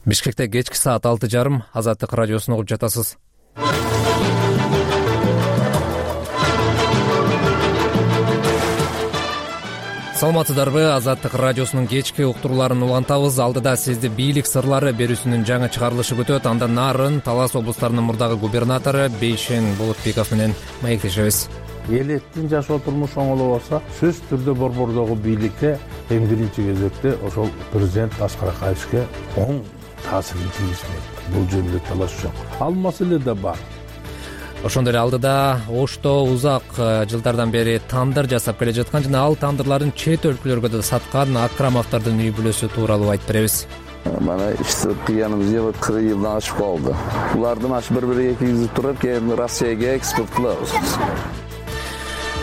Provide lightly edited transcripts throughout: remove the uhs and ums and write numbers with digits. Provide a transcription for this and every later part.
Бишкекте кечки саат 6:30 Азаттык радиосун угуп жатасыз. Саламатсыздарбы? Азаттык радиосунун кечки уктурууларын улантабыз. Алдыда сизди бийлик сырлары берүүсүнүн жаңы чыгарылышы күтөт. Андан нарын Талас облустарынын мурдагы губернатору Бейшен Болотбеков менен маектешебиз. Элеттин жашоо турмушу оңолобосо сөзсүз түрдө борбордогу бийликке эң биринчи кезекте ошол президент Аскар Акаевичке оң таасирин тийгизмек. Бул жөнүндө талаш жок. Ал маселе да бар. Ошондой эле алдыда Ошто узак жылдардан бери тандыр жасап келе жаткан жана ал тандырларын чет өлкөлөргө да саткан Акрамовдордун үй бүлөсү тууралуу айтып беребиз. Mana işte kıyanımız 40 yıldan aşık oldu. Bunlardan aşık bir-biriga kiyizip turup keyin Rossiyaga eksport qilamiz.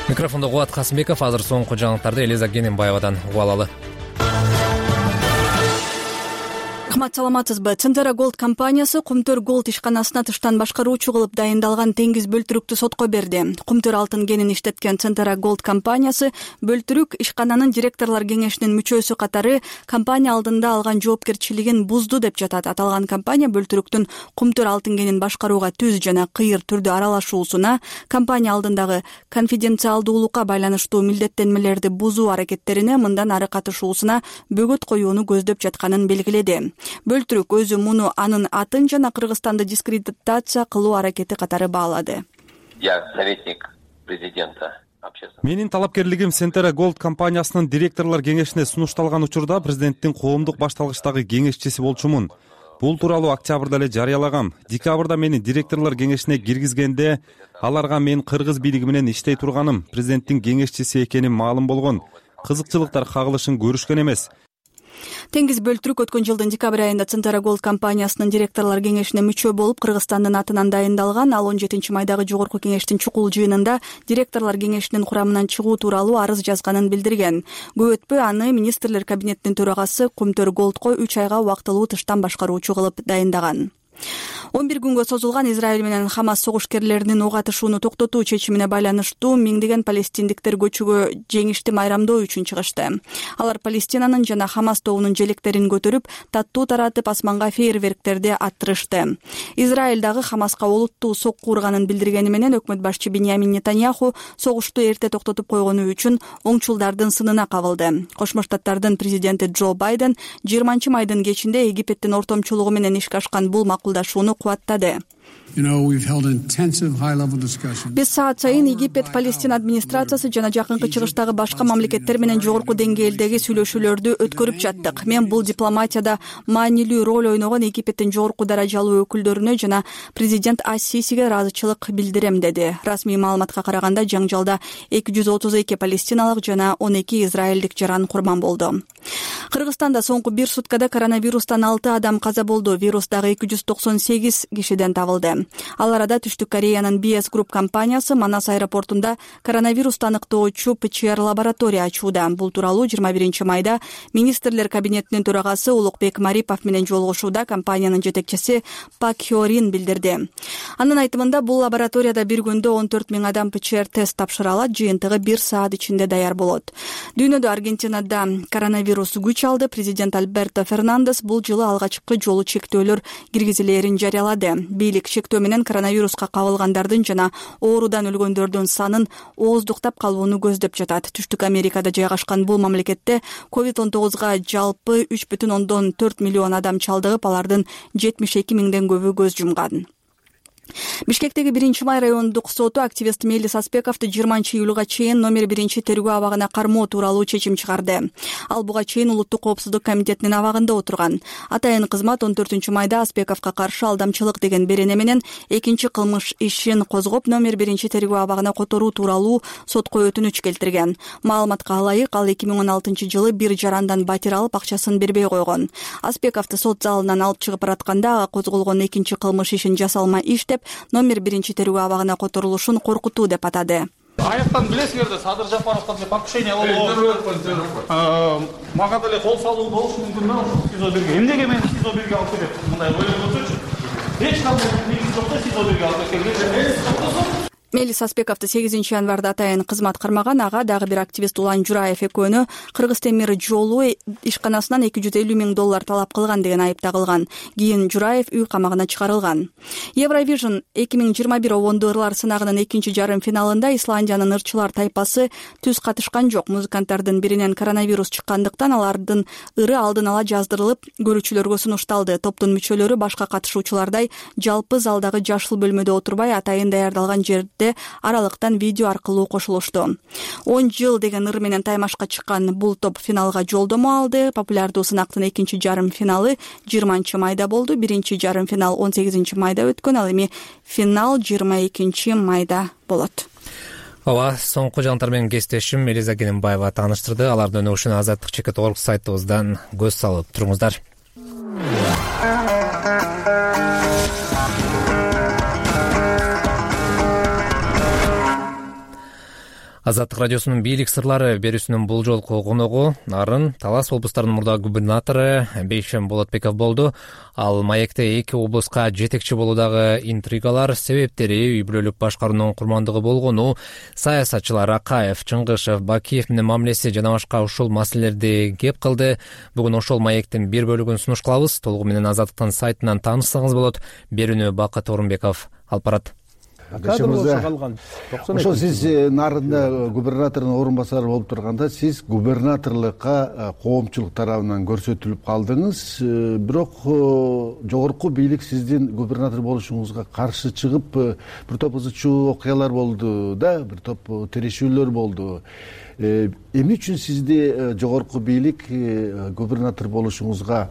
Микрофондо Кубат Касымбеков. Азыр соңку жаңылыктарды Элиза Гененбаевадан угуп алалы. Рахмат, саламатсызбы? Центра Голд компаниясы Кумтөр Голд ишканасына тыштан башкаруучу кылып дайындалган теңиз бөлтүрүктү сотко берди. Кумтөр алтын кенин иштеткен Центра Голд компаниясы бөлтүрүк ишкананын директорлор кеңешинин мүчөсү катары компания алдында алган жоопкерчилигин бузду деп жатат. Аталган компания бөлтүрүктүн Кумтөр алтын кенин башкарууга түз жана кыйыр түрдө аралашуусуна, компания алдындагы конфиденциалдуулукка байланыштуу милдеттенмелерди бузуу аракеттерине мындан ары катышуусуна бөгөт коюуну көздөп жатканын белгиледи. Бөлтүрүк өзү муну анын атын жана Кыргызстанды дискредитация кылуу аракети катары баалады. Я советник президента. Менин талапкерлигим Центра Голд компаниясынын директорлор кеңешине сунушталган учурда президенттин коомдук башталгычтагы кеңешчиси болчумун. Бул тууралуу октябрда эле жарыялагам. Декабрда мени директорлор кеңешине киргизгенде аларга мен кыргыз бийлиги менен иштей турганым, президенттин кеңешчиси экеним маалым болгон. Кызыкчылыктар кагылышын көрүшкөн эмес. Теңиз бөлтүрүк өткөн жылдын декабрь айында Центра Голд компаниясынын директорлор кеңешине мүчө болуп Кыргызстандын атынан дайындалган. Ал 17 майдагы жогорку кеңештин чукул жыйынында директорлор кеңешинин курамынан чыгуу тууралуу арыз жазганын билдирген. Көп өтпөй аны министрлер кабинетинин төрагасы Кумтөр Голдко 3 айга убактылуу тыштан башкаруучу кылып дайындаган. 11 күнгө созулган Израиль менен Хамас согушкерлеринин ок атышууну токтотуу чечимине байланыштуу миңдеген палестиндиктер көчөгө жеңишти майрамдоо үчүн чыгышты. Алар Палестинанын жана Хамас тобунун желектерин көтөрүп, таттуу таратып асманга фейерверктерди аттырышты. Израиль дагы Хамаска олуттуу сокку урганын билдиргени менен өкмөт башчы Биньямин Нетаньяху согушту эрте токтотуп койгону үчүн оңчулдардын сынына кабылды. Кошмо Штаттардын президенти Джо Байден 20 майдын кечинде Египеттин ортомчулугу менен ишке ашкан бул макулдашууну кубаттады. Биз саат сайын Египет, Палестина администрациясы жана жакынкы чыгыштагы башка мамлекеттер менен жогорку деңгээлдеги сүйлөшүүлөрдү өткөрүп жаттык. Мен бул дипломатияда маанилүү роль ойногон Египеттин жогорку даражалуу өкүлдөрүнө жана президент Ас-Сисиге ыраазычылык билдирем, деди. Расмий маалыматка караганда жаңжалда 232 палестиналык жана 12 израилдик жаран курман болду. Кыргызстанда соңку бир суткада коронавирустан 6 адам каза болду. Вирус дагы 298 кишиден табылды. Ал арада Түштүк Кореянын BS Group компаниясы Манас аэропортунда коронавирусту аныктоочу ПЧР лаборатория ачууда. Бул тууралуу 21 майда министрлер кабинетинин төрагасы Улукбек Марипов менен жолугушууда компаниянын жетекчиси Пак Хёрин билдирди. Анын айтымында бул лабораторияда бир күндө 14 000 адам ПЧР тест тапшыра алат, жыйынтыгы 1 саат ичинде даяр болот. Дүйнөдө Аргентинада коронавирус күч алды. Президент Альберто Фернандес бул жылы алгачкы жолу чектөөлөр киргизилээрин жарыялады. Бийлик чектөө менен коронавируска кабылгандардын жана оорудан өлгөндөрдүн санын ооздуктап калууну көздөп жатат. Түштүк Америкада жайгашкан бул мамлекетте COVID-19га жалпы 3,4 миллион адам чалдыгып, алардын 72 000ден көбү көз жумган. Бишкектеги 1 май райондук соту активист Мелис Аспековду 20 июлга чейин номер 1 тергөө абагына кармоо тууралуу чечим чыгарды. Ал буга чейин Улуттук коопсуздук комитетинин абагында отурган. Атайын кызмат 14 майда Аспековго каршы алдамчылык деген берене менен экинчи кылмыш ишин козгоп номер 1 тергөө абагына которуу тууралуу сотко өтүнүч келтирген. Маалыматка ылайык, ал 2016 жылы бир жарандан батир алып акчасын бербей койгон. Аспековду сот залынан алып чыгып баратканда козголгон экинчи кылмыш ишин жасалма иш деп номер 1 тергөө абагына которулушун коркутуу деп атады. Аяктан билесиңерде Садыр Жапаровдон покушение болду. Мага деле кол салуу болушу мүмкүн да СИЗО бирге. Эмнеге мени СИЗО бирге алып келет? Мындай ойлоп көрсөчү. Эч кандай негизи жок да СИЗО бирге алып келген. Мелис Аспековду 8 январда атайын кызмат кармаган. Ага дагы бир активист Улан Жураев экөөнү Кыргыз темир жолу ишканасынан $250 000 талап кылган деген айып тагылган. Кийин Жураев үй камагына чыгарылган. Евровижн 2021 обондуу ырлар сынагынын экинчи жарым финалында Исландиянын ырчылар тайпасы түз катышкан жок. Музыканттардын биринен коронавирус чыккандыктан алардын ыры алдын ала жаздырылып, көрүүчүлөргө сунушталды. Топтун мүчөлөрү башка катышуучулардай жалпы залдагы жашыл бөлмөдө отурбай, атайын даярдалган жерде аралыктан видео аркылуу кошулушту. 10 жыл деген ыр менен таймашка чыккан бул топ финалга жолдомо алды. Популярдуу сынактын экинчи жарым финалы 20 майда болду. Биринчи жарым финал 18 майда өткөн, ал эми финал 22 майда болот. Ооба, соңку жаңылыктар менен кесиптешим Элиза Кененбаева тааныштырды. Алардын өнүгүшүнө azatlyk.org сайтыбыздан көз салып туруңуздар. Азаттык радиосунун бийлик сырлары берүүсүнүн бул жолку коногу Нарын Талас облустарынын мурдагы губернатору Бейшен Болотбеков болду. Ал маекте эки облуска жетекчи болуудагы интригалар, себептери, үй бүлөлүк башкаруунун курмандыгы болгону, саясатчылар Акаев, Чыңгышев, Бакиев менен мамилеси жана башка ушул маселелерди кеп кылды. Бүгүн ошол маектин бир бөлүгүн сунуш кылабыз. Толугу менен Азаттыктын сайтынан таанышсаңыз болот. Берүүнү Бакыт Орунбеков алып барат. Ошо сиз Нарында губернатордун орун басары болуп турганда, сиз губернаторлукка коомчулук тарабынан көрсөтүлүп калдыңыз. Бирок жогорку бийлик сиздин губернатор болушуңузга каршы чыгып, бир топ ызы чуу окуялар болду да, бир топ тирешүүлөр болду. Эмне үчүн сизди жогорку бийлик губернатор болушуңузга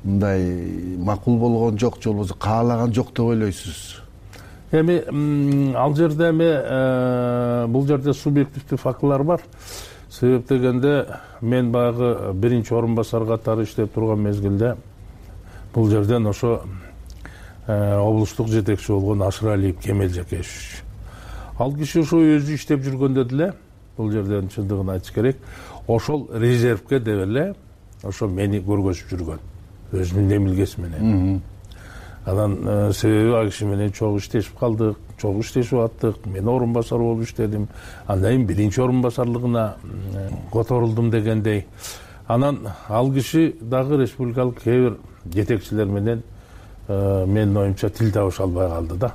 мындай макул болгон жок, же болбосо каалаган жок деп ойлойсуз? Эми ал жерде бул жерде субъективдүү фактылар бар. Себеп дегенде мен баягы биринчи орун басар катары иштеп турган мезгилде бул жерден ошо облустук жетекчи болгон Ашыралиев Кемел Жакешевич. Ал киши ошо өзү иштеп жүргөндө деле, бул жерден чындыгын айтыш керек, ошол резервке деп эле ошо мени көргөзүп жүргөн. Өзүнүн эмилгеси менен. Анан себеби ал киши менен чогуу иштешип калдык, чогуу иштешип аттык. Мен орун басар болуп иштедим. Андан кийин биринчи орун басарлыгына которулдум дегендей. Анан ал киши дагы республикалык кээ бир жетекчилер менен менин оюмча тил табыша албай калды да.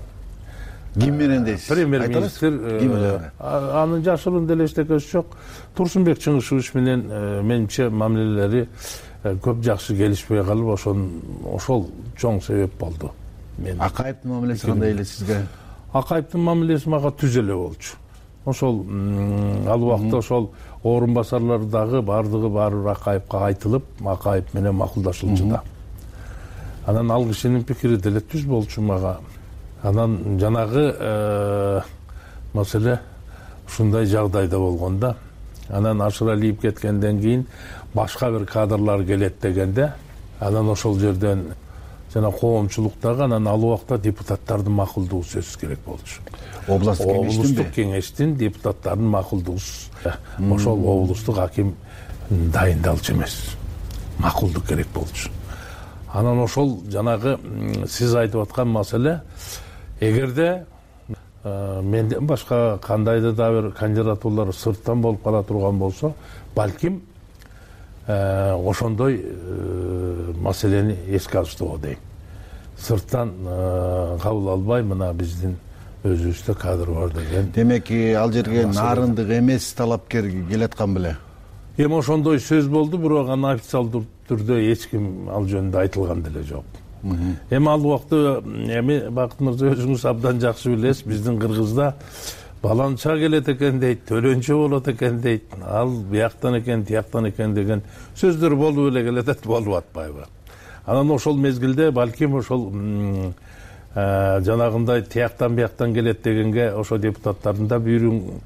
Ким менен дейсиз? Премьер-министр. Анын жашыруун деле эчтекеси жок. Турсунбек Чыңгышевич менен менимче мамилелери көп жакшы келишпей калып, ошол чоң себеп болду. Акаевдин мамилеси кандай эле сизге? Акаевдин мамилеси мага түз эле болчу. Ошол ал убакта ошол орун басарлар дагы баары бир Акаевка айтылып, Акаев менен макулдашылчу да. Анан ал кишинин пикири деле түз болчу мага. Анан жанагы маселе ушундай жагдайда болгондо, анан Ашыралиев кеткенден кийин башка бир кадрлар келет дегенде, анан ошол жерден жана коомчулуктагы, анан ал убакта депутаттардын макулдугу сөзсүз керек болчу. Облустук кеңештин депутаттарынын макулдугу, ошол облустук аким дайындалчу эмес, макулдук керек болчу. Анан ошол жанагы сиз айтып аткан маселе, эгерде менден башка кандайдыр да бир кандидатуралар сырттан болуп кала турган болсо, балким ошондой маселени эске алыштуу дейм. Сырттан кабыл албай, мына биздин өзүбүздө кадр бар деген. Демек, ал жерге нарындык эмес талапкер келаткан беле? Эми ошондой сөз болду, бирок аны официалдуу түрдө эч ким ал жөнүндө айтылган деле жок. Эми ал убакта Бакыт мырза өзүңүз абдан жакшы билесиз, биздин Кыргызда баланча келет экен дейт, төлөнчө болот экен дейт, ал бияктан экен, тияктан экен деген сөздөр болуп эле келет, болуп атпайбы. Анан ошол мезгилде балким ошол жанагындай тияктан бияктан келет дегенге ошо депутаттардын да бүйүрүн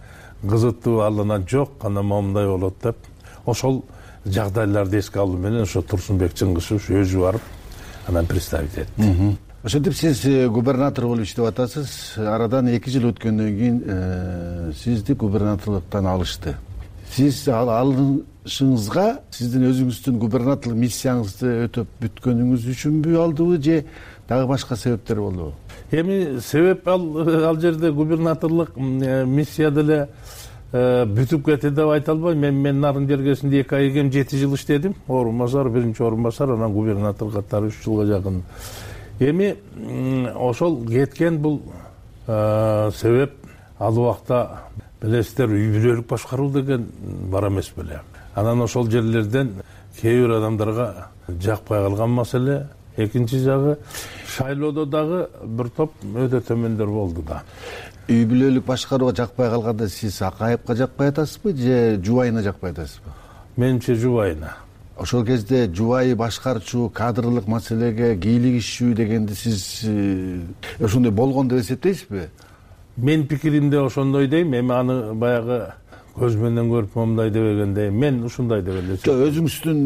кызыттуу, алынан жок, анан момундай болот деп, ошол жагдайларды эске алуу менен ошо Турсунбек Чыңгышев өзү барып анан представить этти. Ошентип сиз губернатор болуп иштеп атасыз. Арадан 2 жыл өткөндөн кийин сизди губернаторлуктан алышты. сиз алышыңызга сиздин өзүңүздүн губернаторлук миссияңызды өтөп бүткөнүңүз үчүнбү алдыбы же дагы башка себептер болдубу? Эми себеп ал жерде губернаторлук миссия деле бүтүп кетти деп айта албайм. Мен нарын жергесинде 2 ай кем 7 жыл иштедим. Орун басар, биринчи орун басар, анан губернатор катары 3 жылга жакын. Эми ошол кеткен бул себеп ал убакта билесиздер, үй бүлөлүк башкаруу деген бар эмес беле. Анан ошол жерлерден кээ бир адамдарга жакпай калган маселе. Экинчи жагы шайлоодо дагы бир топ өтө төмөндөр болду да. Үй бүлөлүк башкарууга жакпай калганда сиз Акаевка жакпай атасызбы же Жубайына жакпай атасызбы? Менимче Жубайына. Ошол кезде жубайы башкарчу кадрлык маселеге кийлигишүү дегенди сиз ошондой болгон деп эсептейсизби? Мен пикиримде ошондой дейм. Эми аны баягы көз менен көрүп момундай дебегенде мен ушундай деп эле эсептейм. Өзүңүздүн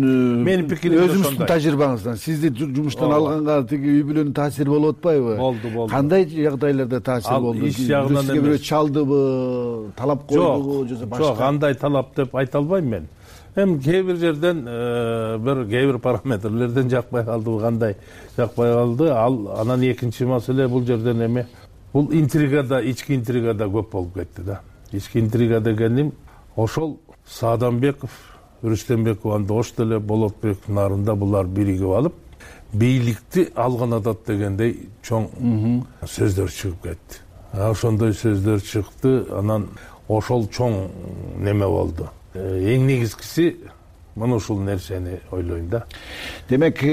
менин пикирим өзүңүздүн тажрыйбаңыздан сизди жумуштан алганга тиги үй бүлөнүн таасири болуп атпайбы? Болду. Кандай жагдайларда таасир болду? Иш жагынан эмес. Бирөө чалдыбы, талап койдубу же башка? Жок, андай талап деп айта албайм мен. Эми кээ бир жерден кээ бир параметрлерден жакпай калдыбы, кандай жакпай калды. Анан экинчи маселе бул жерден эми бул интригада, ички интригада көп болуп кетти да. Ички интрига дегеним ошол Сааданбеков, Рүстембеков андош деле Болотбек нарында булар биригип алып, бийликти алган атат дегендей чоң сөздөр чыгып кетти. Ошондой сөздөр чыкты, анан ошол чоң неме болду. Эң негизгиси мына ушул нерсени ойлойм да. Демек,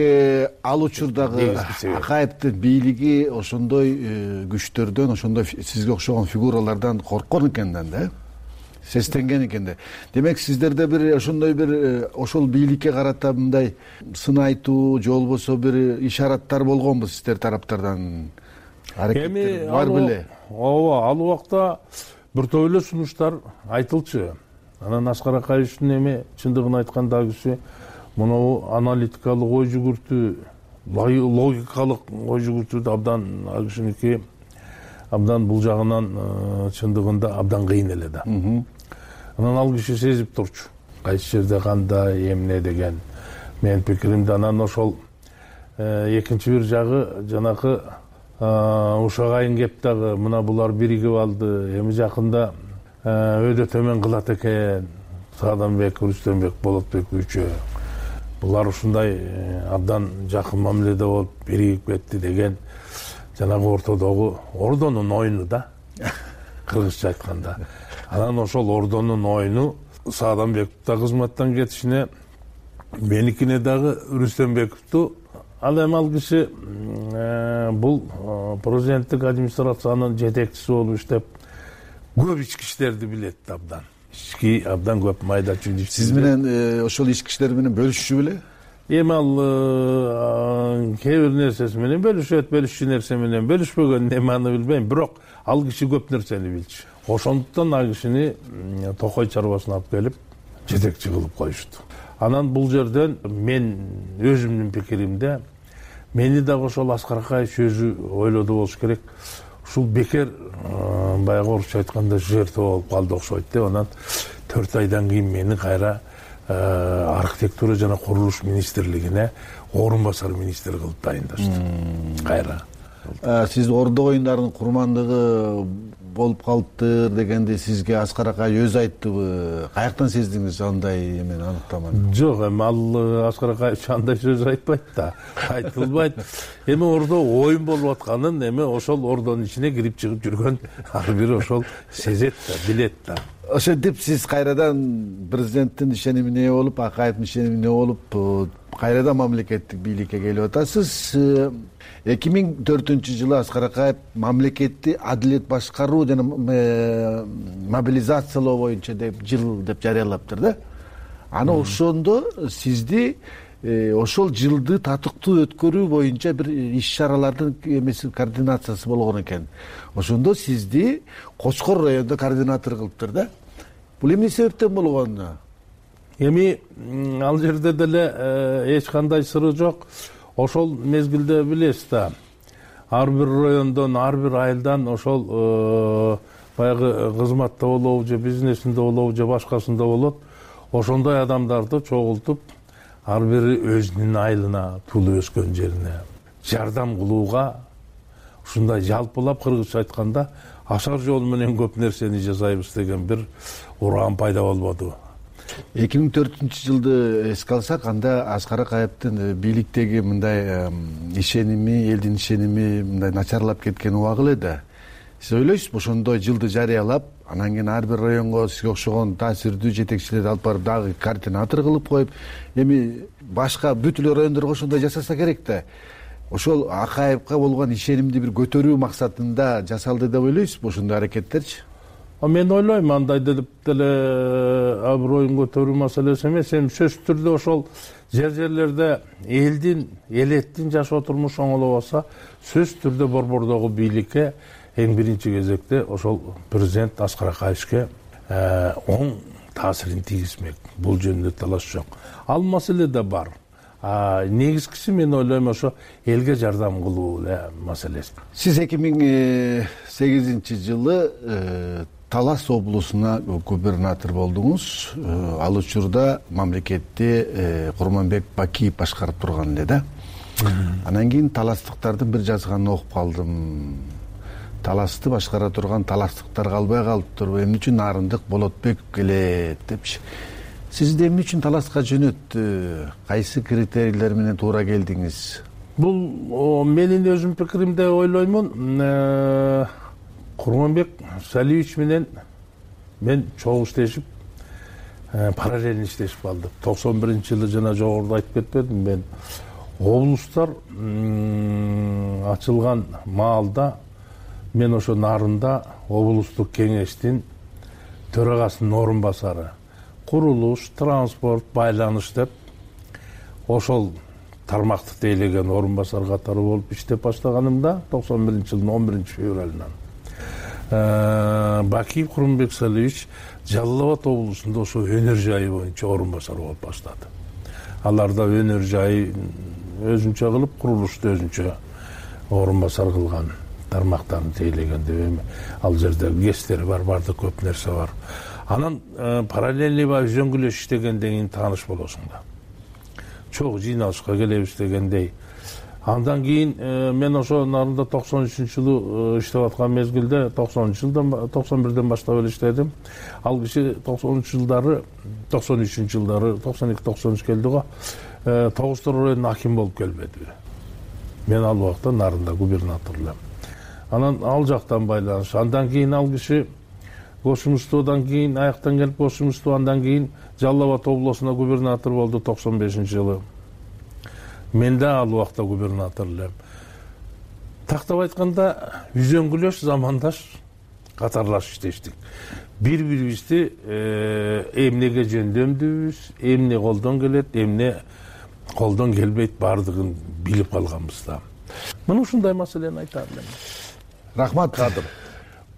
ал учурдагы Акаевдин бийлиги ошондой күчтөрдөн, ошондой сизге окшогон фигуралардан корккон экен да, сестенген экен да. Демек, сиздерде бир ошондой бир ошол бийликке карата мындай сын айтуу же болбосо бир ишараттар болгонбу сиздер тараптардан? Эми бар беле? Ооба, ал убакта бир топ эле сунуштар айтылчу. Анан Аскар Акаевичтин эми чындыгын айтканда киши мынау аналитикалык ой жүгүртүү, логикалык ой жүгүртүүдө абдан кишиники абдан бул жагынан чындыгында абдан кыйын эле да. Анан ал киши сезип турчу. Кайсы жерде кандай, эмне деген менин пикиримде. Анан ошол экинчи бир жагы жанакы ушагайын кеп дагы мына булар биригип алды. Эми жакында өйдө төмөн кылат экен Сааданбек, Рүстембек, Болотбек үчөө. Булар ушундай абдан жакын мамиледе болуп биригип кетти деген жанагы ортодогу ордонун оюну да, кыргызча айтканда. Анан ошол ордонун оюну Сааданбековду да кызматтан кетишине, меникине дагы Рүстембековду. Ал эми ал киши бул президенттик администрациянын жетекчиси болуп иштеп көп ички иштерди билет абдан. Ички абдан көп майда чүйдү. Сиз менен ошол ички иштер менен бөлүшчү беле? Эми ал кээ бир нерсеси менен бөлүшөт, бөлүшчү нерсе менен бөлүшпөгөн эми аны билбейм, бирок ал киши көп нерсени билчү. Ошондуктан ал кишини Токой чарбасына алып келип жетекчи кылып коюшту. Анан бул жерден мен өзүмдүн пикиримде мени дагы ошол Аскар Акаевич өзү ойлоду болуш керек. Ушул бекер баягы орусча айтканда жертва болуп калды окшойт деп, анан 4 айдан кийин мени кайра архитектура жана курулуш министрлигине орун басар министр кылып дайындашты. Кайра. Сиз Ордо оюндарынын курмандыгы болуп калыптыр дегенди сизге Аскар Акаевич өзү айттыбы? Каяктан сездиңиз андай эмени аныктаманы? Жок, эми ал Аскар Акаевич андай сөз айтпайт да, айтылбайт. Эми Ордо оюн болуп атканын эми ошол Ордонун ичине кирип чыгып жүргөн ар бир ошол сезет да, билет да. Ошентип сиз кайрадан президенттин ишенимине ээ болуп, Акаевдин ишенимине ээ болуп, кайрадан мамлекеттик бийликке келип атасыз. 2004-жылы Аскар Акаев мамлекетти адилет башкаруу жана мобилизациялоо боюнча деп жыл деп жарыялаптыр да. Аны ошондо сизди ошол жылды татыктуу өткөрүү боюнча бир иш-чаралардын эмеси координациясы болгон экен. Ошондо сизди Кочкор районунда координатор кылыптыр да. Бул эмне себептен болгон? Эми ал жерде деле эч кандай сыры жок. Ошол мезгилде билесиз да, ар бир райондон, ар бир айылдан ошол баягы кызматта болобу же бизнесинде болобу же башкасында болот, ошондой адамдарды чогултуп ар бири өзүнүн айылына, туулуп өскөн жерине жардам кылууга, ушундай жалпылап кыргызча айтканда ашар жол менен көп нерсени жасайбыз деген бир ураан пайда болбоду. 2004-жылды эске алсак, анда Аскар Акаевдин бийликтеги мындай ишеними, элдин ишеними мындай начарлап кеткен убагы эле да. Сиз ойлойсузбу, ошондой жылды жарыялап, анан кийин ар бир районго сизге окшогон таасирдүү жетекчилерди алып барып дагы координатор кылып коюп, эми башка бүт эле райондорго ошондой жасаса керек да. Ошол Акаевга болгон ишенимди бир көтөрүү максатында жасалды деп ойлойсузбу ошондой аракеттерчи? Мен ойлойм, андай деп деле аброюн көтөрүү маселеси эмес, эми сөзсүз түрдө ошол жерлерде элеттин жашоо турмушу оңолобосо, сөзсүз түрдө борбордогу бийликке эң биринчи кезекте ошол президент Аскар Акаевге оң таасирин тийгизмек. Бул жөнүндө талаш жок. Ал маселе да бар. Негизгиси мен ойлойм ошо элге жардам кылуу маселеси. Сиз 2008-жылы Талас облусуна губернатор болдуңуз. Ал учурда мамлекетти Курманбек Бакиев башкарып турган эле да. Анан кийин таластыктардын бир жазганын окуп калдым. Таласты башкара турган таластыктар калбай калыптыр. Эмне үчүн Нарындык Болотбек келет депчи. Сизди эмне үчүн Таласка жөнөттү? Кайсы критерийлер менен туура келдиңиз? Бул менин өзүм пикиримде ойлоймун. Курманбек Салиевич менен мен чогуу иштешип, параллельно иштешип калдык. 91-жылы жана жогоруда айтып кетпедим, мен облустар ачылган маалда мен ошо Нарында облустук кеңештин төрагасынын орун басары. Курулуш, транспорт, байланыш деп ошол тармакты тейлеген орун басар катары болуп иштеп баштаганымда 91-жылдын 11-февралынан Бакиев Курманбек Салиевич Жалал Абад облусунда ошо өнөр жайы боюнча орун басар болуп баштады. Аларда өнөр жайы өзүнчө кылып, курулушты өзүнчө орун басар кылган, тармактарын тейлеген деп ал жерде кестери бар, бардык көп нерсе бар. Анан параллельный үзөңгүлөш иштегенден кийин тааныш болосуң да. Чогуу жыйналышка келебиз дегендей. Андан кийин мен ошо Нарында 93-жылы иштеп аткан мезгилде 91-ден баштап эле иштедим. Ал киши 93-жылдары, 92-93 келди го. 9 районунун аким болуп келбеди. Мен ал убакта Нарында губернатор элем. Анан ал жактан байланыш. Андан кийин ал киши Кошумустуудан кийин аяктан келип Кошумустуу, андан кийин Жалал Абад облусуна губернатор болду 95-жылы. Мен да ал убакта губернатор элем. Тактап айтканда үзөңгүлөш замандаш катарлаш иштештик. Бири-бирибизди эмнеге жөндөмдүбүз, эмне колдон келет, эмне колдон келбейт бардыгын билип калганбыз да. Мына ушундай маселени айтам элем. Рахмат Кадыр.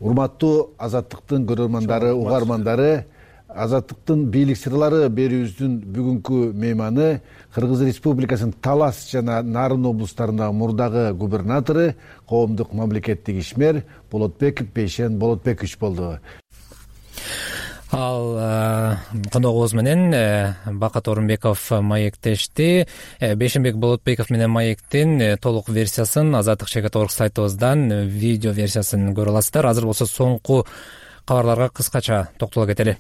Урматтуу Азаттыктын көрөрмандары, угармандары, Азаттыктын бийлик сырлары берүүбүздүн бүгүнкү мейманы Кыргыз Республикасынын Талас жана Нарын облустарындагы мурдагы губернатору, коомдук мамлекеттик ишмер Болотбеков Бейшен Болотбекович болду. Ал коногубуз менен Бакат Орунбеков маектешти. Бейшенбек Болотбеков менен маектин толук версиясын Азаттык ЧК сайтыбыздан видео версиясын көрө аласыздар. Азыр болсо соңку кабарларга кыскача токтоло кетели.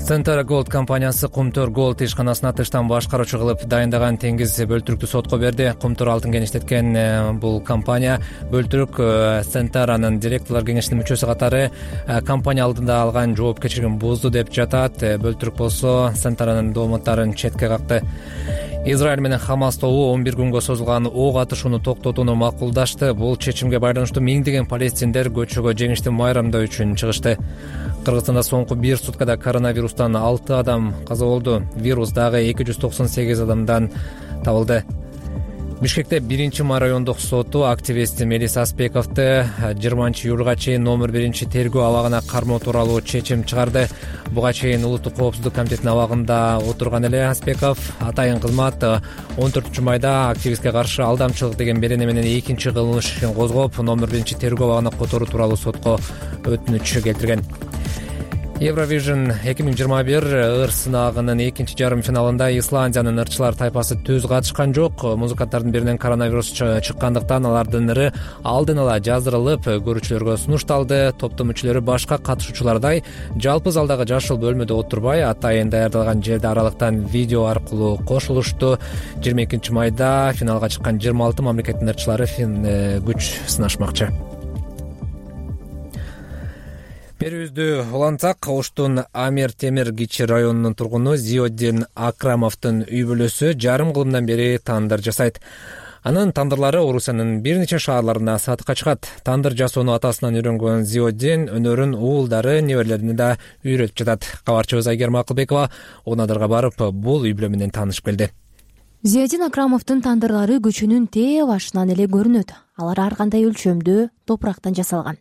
Center Gold компаниясы Кумтөр Gold ишканасына тыштан башкаруучу кылып дайындаган теңиз бөлтүрүктү сотко берди. Кумтөр алтын кенештеткен бул компания бөлтүрүк Center'нын директорлор кеңешинин мүчөсү катары компания алдында алган жоопкерчилигин бузду деп жатат. Бөлтүрүк болсо Center'нын дооматтарын четке какты. Израиль менен Хамас тобу 11 күнгө созулган ок атышууну токтотууну макулдашты. Бул чечимге байланыштуу миңдеген палестиндер көчөгө жеңиштин майрамдоо үчүн чыгышты. Кыргызстанда соңку 1 суткада коронавирустан 6 адам каза болду. Вирус дагы 298 адамдан табылды. Бишкекте 1 райондук соту активист Мелис Аспековду 20-июлга чейин номер 1-тергөө абагына кармоо тууралуу чечим чыгарды. Буга чейин Улуттук коопсуздук комитетинин абагында отурган эле Аспеков атайын кызмат 14-майда активистке каршы алдамчылык деген берене менен 2 кылмыш ишин козгоп, номер 1-тергөө абагына которуу тууралуу сотко өтүнүч келтирген. Евровижн 2021 ыр сынагынын 2-жарым финалында Исландиянын ырчылар тайпасы түз катышкан жок. Музыканттардын биринен коронавирус чыккандыктан алардын ыры алдын ала жаздырылып, көрүүчүлөргө сунушталды. Топтун мүчөлөрү башка катышуучулардай жалпы залдагы жашыл бөлмөдө отурбай, атайын даярдалган жерде аралыктан видео аркылуу кошулушту. 22 майда финалга чыккан 26 мамлекеттин ырчылары күч сынашмакчы. Берүүбүздү улантсак, Оштун Амир Темир Кичи районунун тургуну Зиоддин Акрамовдун үй бүлөсү жарым кылымдан бери тандыр жасайт. Анын тандырлары Орусиянын бир нече шаарларына сатыкка чыгат. Тандыр жасоону атасынан үйрөнгөн Зиоддин өнөрүн уулдары, неберелерине да үйрөтүп жатат. Кабарчыбыз Айгерим Акылбекова Унадырга барып, бул үй бүлө менен таанышып келди. Зиоддин Акрамовдун тандырлары көчөнүн тээ башынан эле көрүнөт. Алар ар кандай өлчөмдө топурактан жасалган.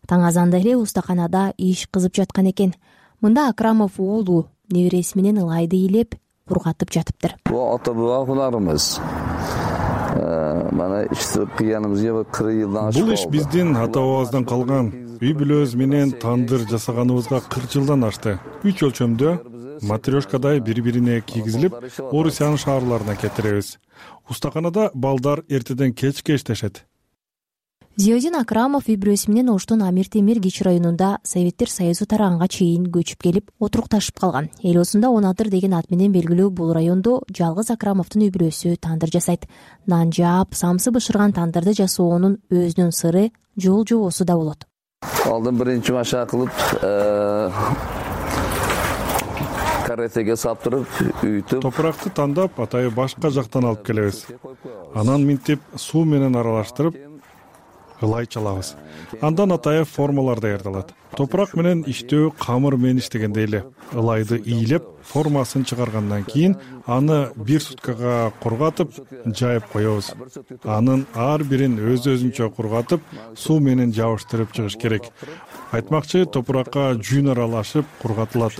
Таң азанда эле устаканада иш кызып жаткан экен. Мында Акрамов уулу небереси менен ылайды ыйлеп, кургатып жатыптыр. Бул ата-бабаларыбыз. Мана иштеп кыяныбызга 40 жылдан ашып. Бул иш биздин ата-бабабыздан калган. Үй бүлөбүз менен тандыр жасаганыбызга 40 жылдан ашты. 3 өлчөмдө матрешкадай бири-бирине кийгизилип, Орусиянын шаарларына кетиребиз. Устаканада балдар эртеден кечке иштешет. Зиоддин Акрамов үй бүлөсү менен Оштун Амир Темир Кичи районунда Советтер Союзу тараганга чейин көчүп келип отурукташып калган. Эл осунда Унадыр деген ат менен белгилүү бул райондо жалгыз Акрамовдун үй бүлөсү тандыр жасайт. Нан жаап, самсы бышырган тандырды жасоонун өзүнүн сыры жол жобосу да болот. Алдын биринчи машак кылып, каретеге саптырып, үйтүп, топуракты тандап, атайы башка жактан алып келебиз. Анан минтип, суу менен аралаштырып, ылай чалабыз. Андан атайы формалар даярдалат. Топурак менен иштөө камыр менен иштегендей эле. Ылайды ыйлеп, формасын чыгаргандан кийин аны 1 суткага кургатып, жайып коебуз. Анын ар бирин өз-өзүнчө кургатып, суу менен жабыштырып чыгыш керек. Айтмакчы, топуракка жүүн аралашып кургатылат.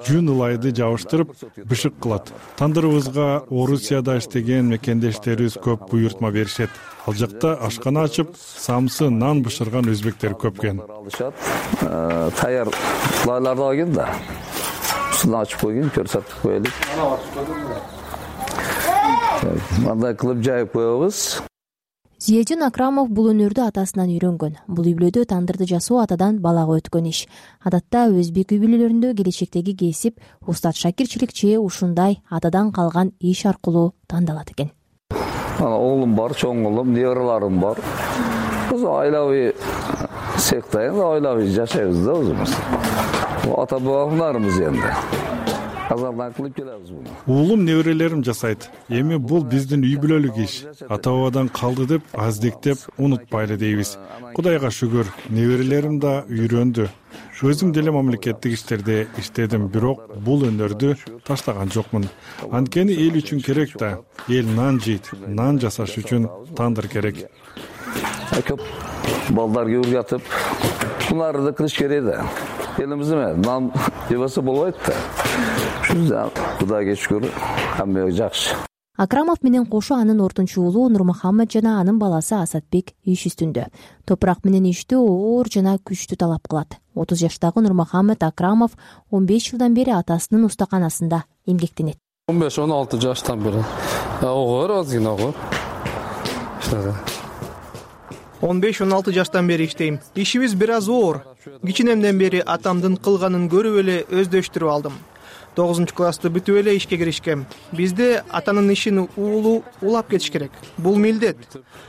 Жүүн ылайды жабыштырып, бышык кылат. Тандырыбызга Орусияда иштеген мекендештерибиз көп буйртма беришет. Ал жакта ашкана ачып, самсы нан бышырган өзбектер көп экен. Таяр лайларды алган да. Сулан ачып койгон, көрсөтүп коелук. Мындай кылып жайып коебуз. Зиоддин Акрамов бул өнөрдү атасынан үйрөнгөн. Бул үй бүлөдө тандырды жасоо атадан балага өткөн иш. Адатта өзбек үй бүлөлөрүндө келечектеги кесип устат шакирчиликчи ушундай атадан калган иш аркылуу тандалат экен. Оğlum бар, чоң улум, неберелерим бар. Biz ailevi sektayız, ailevi жашайбыз да өзүбүз. Ата-бабаларыбыз енді. Азардан кылып келебиз буну. Уулум неберелерим жасайт. Эми бул биздин үй бүлөлүк иш. Ата-бабадан калды деп аздектеп унутпайлы дейбиз. Кудайга шүгүр, неберелерим да үйрөндү. Өзүм деле мамлекеттик иштерде иштедим, бирок бул өнөрдү таштаган жокмун. Анткени эл үчүн керек да. Эл нан жейт, нан жасаш үчүн тандыр керек. Көп балдарга үргөтүп, буларды кылыш керек да. Элимизде нан жебесе болбойт да. Ушунда Кудайга шүгүр, хамма жакшы. Акрамов менен кошо анын ортунчу уулу Нурмухаммед жана анын баласы Асатбек иш үстүндө. Топурак менен иштөө оор жана күчтүү талап кылат. 30 жаштагы Нурмухаммед Акрамов 15 жылдан бери атасынын устаканасында эмгектенет. 15-16 жаштан бери. Огор, азгина огор. 15-16 жаштан бери иштейм. Ишибиз бир аз оор. Кичинемден бери атамдын кылганын көрүп эле өздөштүрүп алдым. 9 классты бүтүп эле ишке киришкем. Бизде атанын ишин уулу улап кетиш керек. Бул милдет.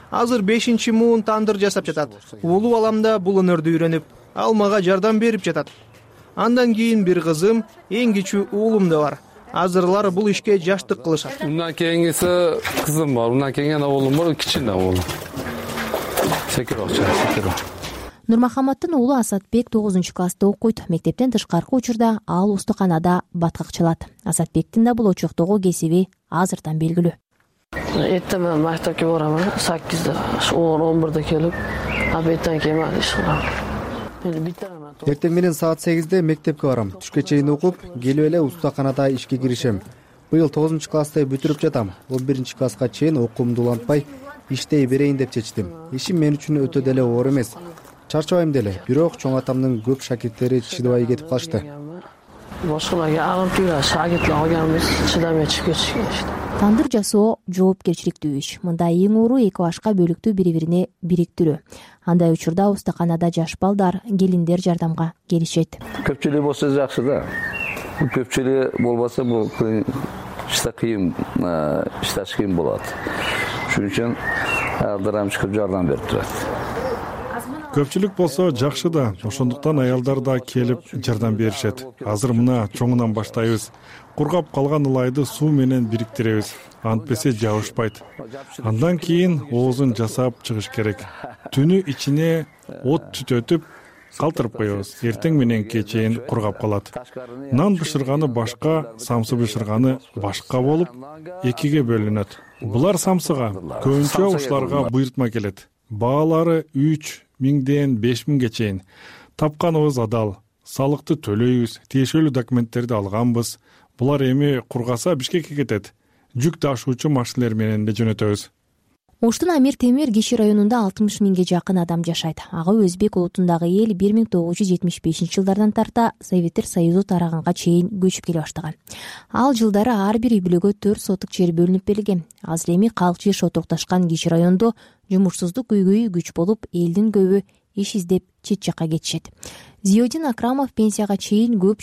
Азыр 5-муун тандыр жасап жатат. Уулу балам да бул өнөрдү үйрөнүп, ал мага жардам берип жатат. Андан кийин бир кызым, эң кичүү уулум да бар. Азырлар бул ишке жаштык кылышат. Ундан кийингиси кызым бар, ундан кийин уулум бар, кичине уулум. Секироча. Нурмухаммадтын уулу Асатбек 9 класста окуйт. Мектептен тышкаркы учурда ал устуканада баткакчылат. Асатбектин да бул очоктогу кесиби азыртан белгилүү. эртең менен мектепке барам, 8-де, 10-11де келип, обедтен кийин иш кылам. Эртең менен саат 8-де мектепке барам. Түшкө чейин окуп, келип эле устаканада ишке киришем. Быйыл 9-классты бүтүрүп жатам. 11-класска чейин окуумду улантпай иштей берейин деп чечтим. Ишим мен үчүн өтө деле оор эмес. Чарчабайм деле. Бирок чоң атамдын көп шакирттери чыдабай кетип калышты. Башкаларга агып жүрө, шагиртлер алганбыз, чыдамай чыгып кетишкен. Тандыр жасоо жоопкерчиликтүү иш. Мында эң оору эки башка бөлүктү бири-бирине бириктирүү. Андай учурда устаканада жаш балдар, келиндер жардамга келишет. Көпчүлүк болсо жакшы да. Көпчүлүк болбосо бул иште кыйын, иштеш кыйын болот. Шуning үчүн айалдар чыгып жардам берип турат. Көпчүлүк болсо жакшы да, ошондуктан аялдар да келип жардам беришет. Азыр мына чоңунан баштайбыз. Кургап калган ылайды суу менен бириктиребиз. Антпесе жабышпайт. Андан кийин оозун жасап чыгыш керек. Түнү ичине от түтөтүп калтырып коебуз. Эртең мененке чейин кургап калат. Нан бышырганы башка, самсы бышырганы башка болуп, экиге бөлүнөт. Булар самсыга, көбүнчө ушуларга буйртма келет. Баалары 3000ден 5000ге чейин. Тапканыбыз адал. Салыкты төлөйбүз, тиешелүү документтерди алганбыз. Булар эми кургаса Бишкекке кетет. Жүк ташуучу машиналар менен да жөнөтөбүз. Оштун Амир Темир Киши районунда 60 миңге жакын адам жашайт. Ага өзбек улутундагы эл 1975-жылдардан тарта Советтер Союзу тараганга чейин көчүп келе баштаган. Ал жылдары ар бир үй бүлөгө 4 сотук жер бөлүнүп берилген. Азыр эми калк жеш отурукташкан Киши райондо жумушсуздук көйгөйү күч болуп, элдин көбү иш издеп чет жакка кетишет. Зиёдин Акрамов пенсияга чейин көп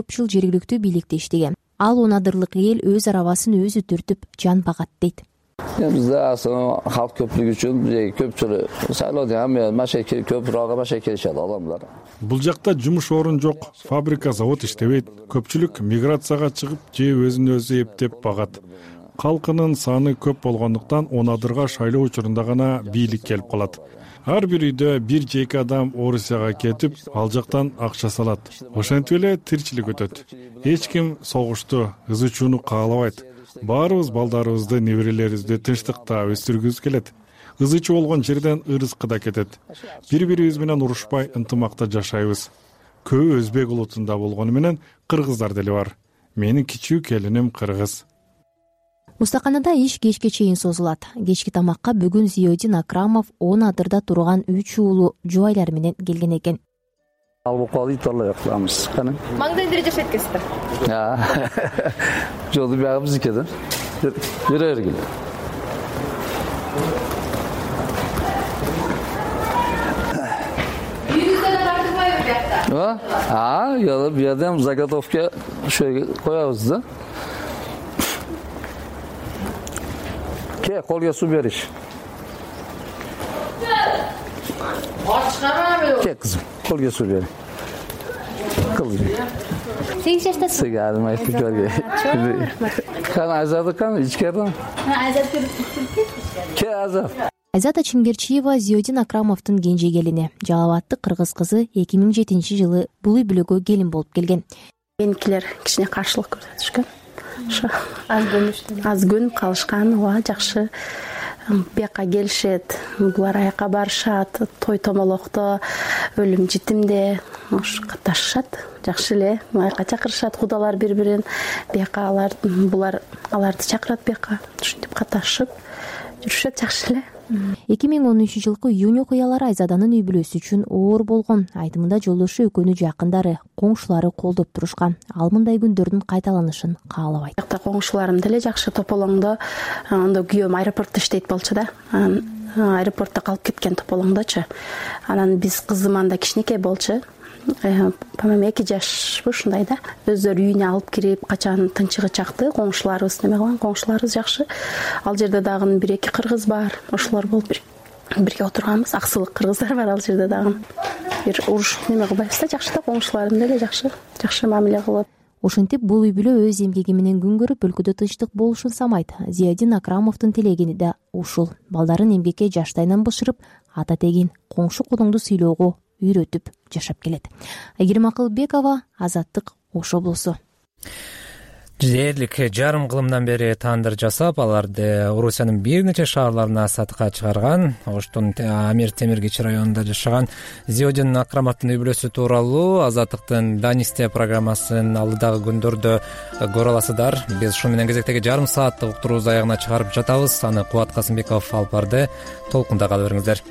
жыл жергиликтүү бийликте иштеген. Ал унадырлык эл өз арабасын өзү түртүп жан багат дейт. Бизде халк көпчүлүгү үчүн көпчүлүк шайлоодо машайке көпүрөөгө машайке келишет адамдар. Бул жакта жумуш орун жок, фабрика, завод иштебейт. Көпчүлүк миграцияга чыгып, же өзүн өзү эптеп багат. Калкынын саны көп болгондуктан унадырга шайлоо учурунда гана бийлик келип калат. Ар бир үйдө бир же эки адам Орусияга кетип, ал жактан акча салат. Ошентип эле тиричилик өтөт. Эч ким согушту, ызы чууну каалабайт. Баарыбыз балдарыбызды, неберелерибизди тынчтыкта өстүргүбүз келет. Ызы чуу болгон жерден ырыскы да кетет. Бири-бирибиз менен урушпай, ынтымакта жашайбыз. Көбү өзбек улутунда болгону менен кыргыздар деле бар. Менин кичүү келиним кыргыз. Устаканада иш кечке чейин созулат. Кечки тамакка бүгүн Зиёдин Акрамов 10 адырда турган 3 уулу жубайлар менен келген экен. Алып калып итарлай кылабыз. Кана. Маңдайында жашайт экенсиздер. Жолду бягы биздики да. Жүре бергил. Үйүңүздө тартылбайбы биякта? Бу жерден заготовка коебуз да. Kolga su beriş. Ke kızım, kolga su beriş. Kızım. 8 yaştasın. Sigarim ayıp görge. Kan Azat'ı kan içkerden. Azat görüp Ke Azat. Айзата Чимгерчиева Зиёдин Акрамовдун кенже келини. Жалалаттык кыргыз кызы 2007-жылы бул үй бүлөгө келин болуп келген. Меникилер кичине каршылык көрсөтүшкөн. Аз көнүп калышкан, жакшы. Бияка келишет, булар аяка барышат, той томолокто, өлүм житимде катнашышат. Жакшы эле, аяка чакырышат кудалар бири-бирин. Бияка аларды чакырат бияка. Ушинтип катнашып жүрүшөт, жакшы эле. 2013-жылкы июнь окуялары Айзаданын үй бүлөсү үчүн оор болгон. Айтымында жолдошу экөөнү жакындары, коңшулары колдоп турушкан. Ал мындай күндөрдүн кайталанышын каалабайт. Жакта коңшуларым деле жакшы. Тополоңдо анда күйөөм аэропортто иштейт болчу да. Аэропортто калып кеткен Тополоңдочу. Анан биз кызым анда кичинекей болчу. По-моему 2 жашпы ушундай да. Өздөрү үйүнө алып кирип, качан тынчыгы чакты, коңшуларыбыз неме кылган, коңшуларыбыз жакшы. Ал жерде дагы 1-2 кыргыз бар. Ошолор болуп бирге отурганбыз. Аксылык кыргыздар бар ал жерде дагы. Бир уруш неме кылбайбыз да, жакшы да, коңшуларым деле жакшы. Жакшы мамиле кылып. Ошентип бул үй бүлө өз эмгеги менен күн көрүп, өлкөдө тынчтык болушун самайт. Зиёдин Акрамовдун тилеги да ушул. Балдарын эмгекке жаштайынан бышырып, ата тегин коңшу кулуңду сыйлоого үйрөтүп жашап келет. Айгерим Акылбекова, Азаттык, Ош облусу. дээрлик жарым кылымдан бери тандыр жасап, аларды Орусиянын бир нече шаарларына сатыкка чыгарган. Оштун Амир Темир кичи районунда жашаган Зиодин Акрамовдун үй-бүлөсү тууралуу Азаттыктын Данисте программасын алдыдагы күндөрдө көрө аласыздар. Биз ушун менен кезектеги жарым сааттык уктуруубузду аягына чыгарып жатабыз. Аны Кубат Касымбеков алып барды. Толкунда кала бериңиздер.